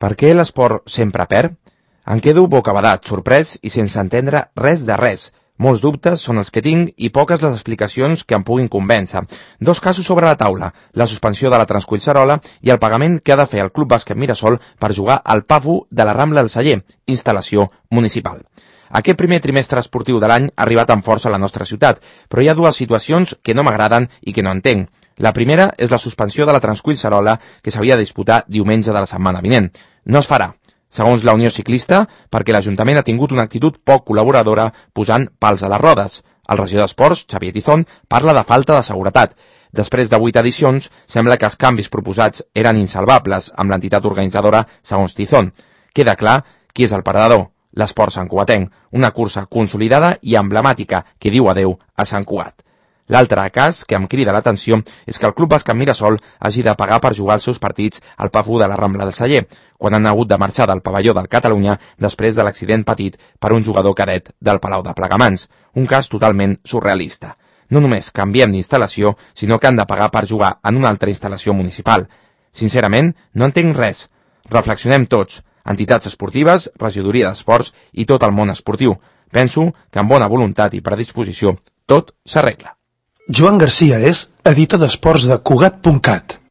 Per què l'esport sempre perd? Em quedo bocabadat, sorprès i sense entendre res de res. Molts dubtes són els que tinc i poques les explicacions que em puguin convèncer. Dos casos sobre la taula, la suspensió de la Transcollserola i el pagament que ha de fer el Club Bàsquet Mirasol per jugar al PAFU de la Rambla del Celler, instal·lació municipal. Aquest primer trimestre esportiu de l'any ha arribat amb força a la nostra ciutat, però hi ha dues situacions que no m'agraden i que no entenc. La primera és la suspensió de la Transcollserola que s'havia de disputar diumenge de la setmana vinent. No es farà, segons la Unió Ciclista, perquè l'Ajuntament ha tingut una actitud poc col·laboradora posant pals a les rodes. El regidor d'Esports, Xavier Tizón, parla de falta de seguretat. Després de 8 edicions, sembla que els canvis proposats eren insalvables amb l'entitat organitzadora, segons Tizón. Queda clar qui és el perdedor. L'esport santcugatenc, una cursa consolidada i emblemàtica que diu adeu a Sant Cugat. L'altre cas que em crida l'atenció és que el Club Bàsquet Mirasol hagi de pagar per jugar els seus partits al PAFU de la Rambla del Celler, quan han hagut de marxar del pavelló del Catalunya després de l'accident patit per un jugador cadet del Palau de Plegamans. Un cas totalment surrealista. No només canviem d'instal·lació, sinó que han de pagar per jugar en una altra instal·lació municipal. Sincerament, no entenc res. Reflexionem tots, entitats esportives, regidoria d'esports i tot el món esportiu. Penso que amb bona voluntat i predisposició tot s'arregla. Joan Garcia és editor d'esports de Cugat.cat.